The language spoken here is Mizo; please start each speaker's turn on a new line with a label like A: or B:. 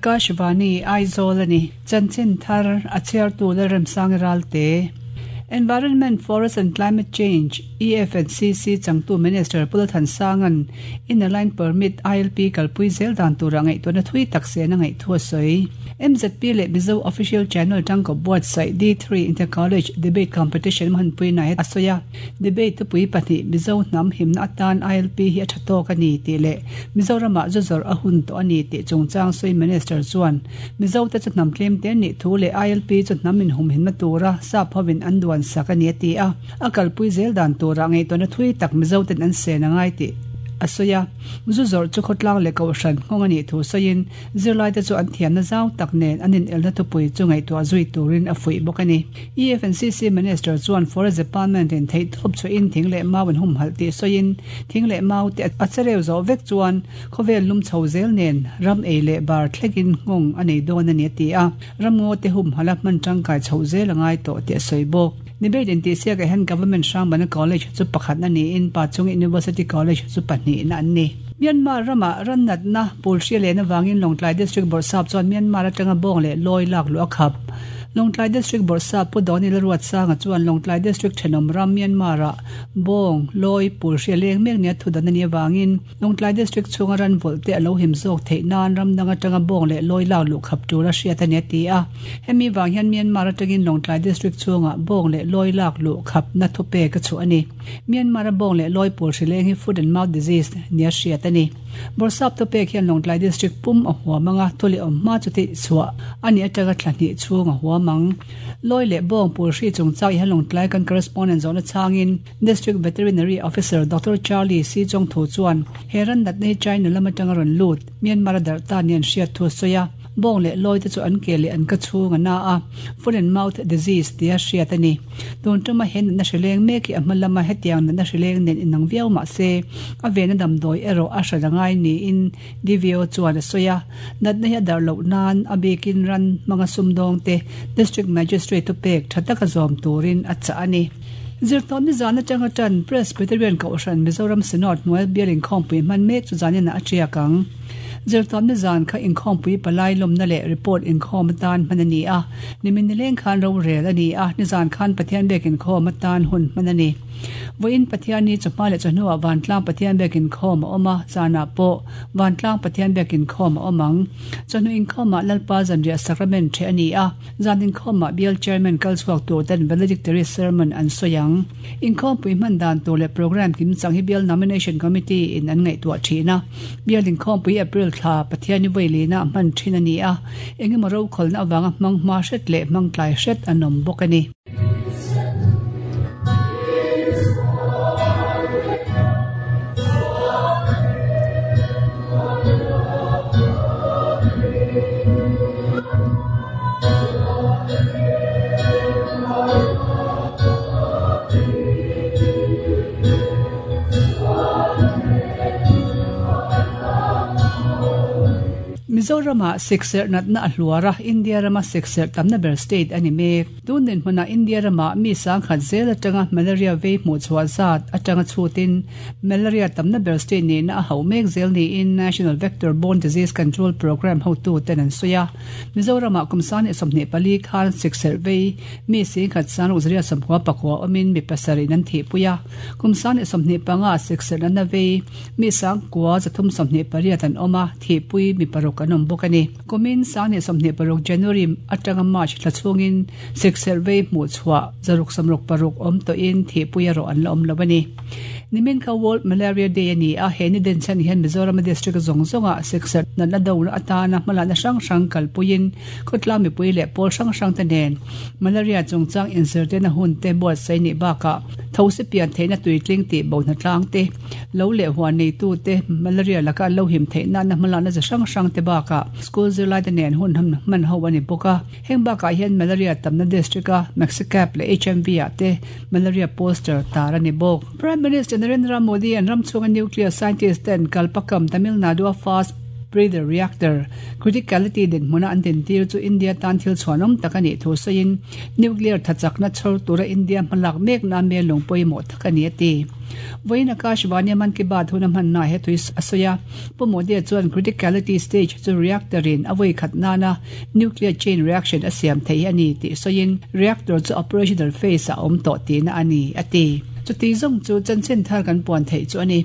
A: Akashvani, Aizawl a ni. Chanchin thar a chhiartu Lalremsangi Ralte. Environment, Forest and Climate Change, EFNCC, changtu Minister Pu Lalthansanga'n Inner Line Permit, ILP, kalpui zel dan tura ngaihtuahna thui tak sen a ngaih thu a sawi. MZP leh Mizo Official Channel tangkawp buatsaih D3 Inter-College Debate Competition hmanpui nai a sawi a. Debate thupui pahnih Mizo hnam himna atan ILP hi a tha tawk a ni tih leh Mizoramah zu zawrh a hun tawh a ni tih chungchang sawi Minister chuan Mizote chu hnam tlem te nih thu leh ILP chu hnam inhumhimna tura sap hovin an duan sak a ni a ti a, a kalpui zel dan turah ngaihtuahna thui tak Mizoten an sen a ngai tih a sawi a. Zu zawrh chu khawtlang leh kohhran nghawng a nih thu sawiin zirlaite chu an thiamna zau tak nen an inelna thupui chu ngaihtuah zui turin a fuih bawk a ni. EFNCC Minister chuan Forest Department in theihtawp chhuahin thing leh mau an humhalh tih sawiin thing leh mau te a chereu zawh vek chuan khawvel lum chho zel nen ram ei leh bar thlekin nghawng a nei dawn a ni a ti a, ramngaw te humhalh a hman tangkai chhoh zel a ngai tawh tih a sawi bawk. Debate intihsiakah hian Government Hrangbana College chu pakhatna niin Pachung University College chu pahnihna an ni. Myanmar ramah ran natna pul hria len avangin Lawngtlai District Bawrhsap chuan Myanmar atanga bawng leh lawi lak luh a khap. Lawngtlai District Bawrhsap Pu Dawni Laruatsanga chuan Lawngtlai District thenawm ram Myanmar-ah bawng, lawi, pul hria leng mek nia thudan a nih avangin Lawngtlai District chhunga ran vawlh te a lo him zawk theih nan ram dang atanga bawng leh lawi lak luh khap tur a hriat a ni a ti a. Hemi vang hian Myanmar atangin Lawngtlai District chhungah bawng leh lawi lak luh khapna thupek a chhuah a ni. Myanmar-a bawng leh lawi pawl hrileng hi Foot and Mouth Disease nia hriat a ni. Bawrhsap thupek hian Lawngtlai District pum a huam ang a, thu leh awm hma chu tih chhuah a nih atanga thla hnih chhung a huam ang. Lawi leh bawng pawl hri chungchang hian Lawngtlai kan correspondent zawhna changin District Veterinary Officer Doctor Charlie Si Chongthu chuan he ran natna hi China lam atanga rawn lut Myanmar-a darh ta nia an hriat thu a sawi a. Bawng leh lawi te chu an ke leh an ka chhung a na a, foot and mouth disease tia hriat a ni. Tun tuma he natna hrileng mek hi a hma lama hetiang natna hrileng nen inang viau mah se, a vena damdawi erawh a hran a ngai niin DVO chuan a sawi a. Natna hi a darh loh nan a bikin ran hmanga sumdawng te District Magistrate thupek tha taka zawm turin a chah a ni. Zirtawpni zan atanga tan Presbyterian Kohhran Mizoram Synod hnuai bial inkhawmpui hman mek chu zaninah a tiak ang. Zirtawpni zan kha inkhawmpui palai lawmna leh report inkhawm atan hman a ni a, nimin nileng khan rorel a ni a, nizan khan Pathian biak inkhawm atan hun hman a ni. Vawiin Pathianni chawhma leh chawhnuah Vantlang Pathian biak inkhawm a awm a, zanah pawh Vantlang Pathian biak inkhawm a awm ang. Chawhnu inkhawmah Lalpa zanriah Sacrament ṭheh a ni a, zan inkhawmah Bial Chairman kal chhuak tur ten Valedictory Sermon an sawi ang. Inkhawmpui hman dan tur leh programme kimchang hi Bial Nomination Committee in an ngaihtuah thin a. Bial inkhawmpui April thla Pathianni vawilinah hman thin a ni a, engemaw rokhawlna avanga hmang hma hret leh hmang tlai hret an awm bawk a ni. Mizoramah sikserh natna a hluar a, India rama sikserh tamna ber state a ni mek. Tun dinhmunah India ramah mi sangkhat zel atanga malaria vei hmuhchhuah zat atanga chhutin malaria tamna ber state nihna a hauh mek zel niin National Vector Borne Disease Control Programme hotuten an sawi a. Mizoramah kum 24 khan sikserh vei Mi singkhat sangruk zaria sawmkua pakua awmin mi pasarih an thihpui a, kum 25 sikserh natna vei mi sangkua 328 an awm a, thihpui mi paruk an awm bawk a ni. Kumin 2026 January atanga March thla chhungin sikserh vei hmuhchhuah zaruk sawmruk paruk awm tawhin thihpui erawh an la awm lo a ni. Nimin kha World Malaria Day a ni a, he ni denchhan hian Mizorama district zawng zawngah sikserh natna dona atana hmalakna hrang hrang kalpuiin Khawtlang mipui leh pawl hrang hrang te nen malaria chungchang inzirtirna hun te buatsaih nih bakah thosi pian theihna tuitling tih bo hnatlang te, lo leh huan neitu te malaria laka an lo him theih nana hmalakna chi hrang hrang te bakah school zirlai te nen hun hman ho a ni bawk a. Heng bakah hian malaria tamna district a Maxicab leh HMV ah te malaria poster tar a ni bawk. Prime Minister Narendra Modi an ram chhunga nuclear scientist ten Kalpakkam, Tamil Nadu a fast Breeder Reactor Criticality dinhmuna an dintir chu India tan thil chhuanawm tak a nih thu sawiin, Nuclear thachakna chhawr tura India hmalak mekna mel lung pawimawh tak a ni a ti. Vawiin Akashvani-a Mann Ki Baat hun a hmannaah he tui a sawi a. Pu Modi-a chuan criticality stage chu reactor-in a vawi khat nana nuclear chain reaction a siam thei hi a ni tih sawiin reactor chu operational phase-ah a awm tawh tihna a ni, a ti. Chuti zawng chu chanchin thar kan puan theih chu a ni.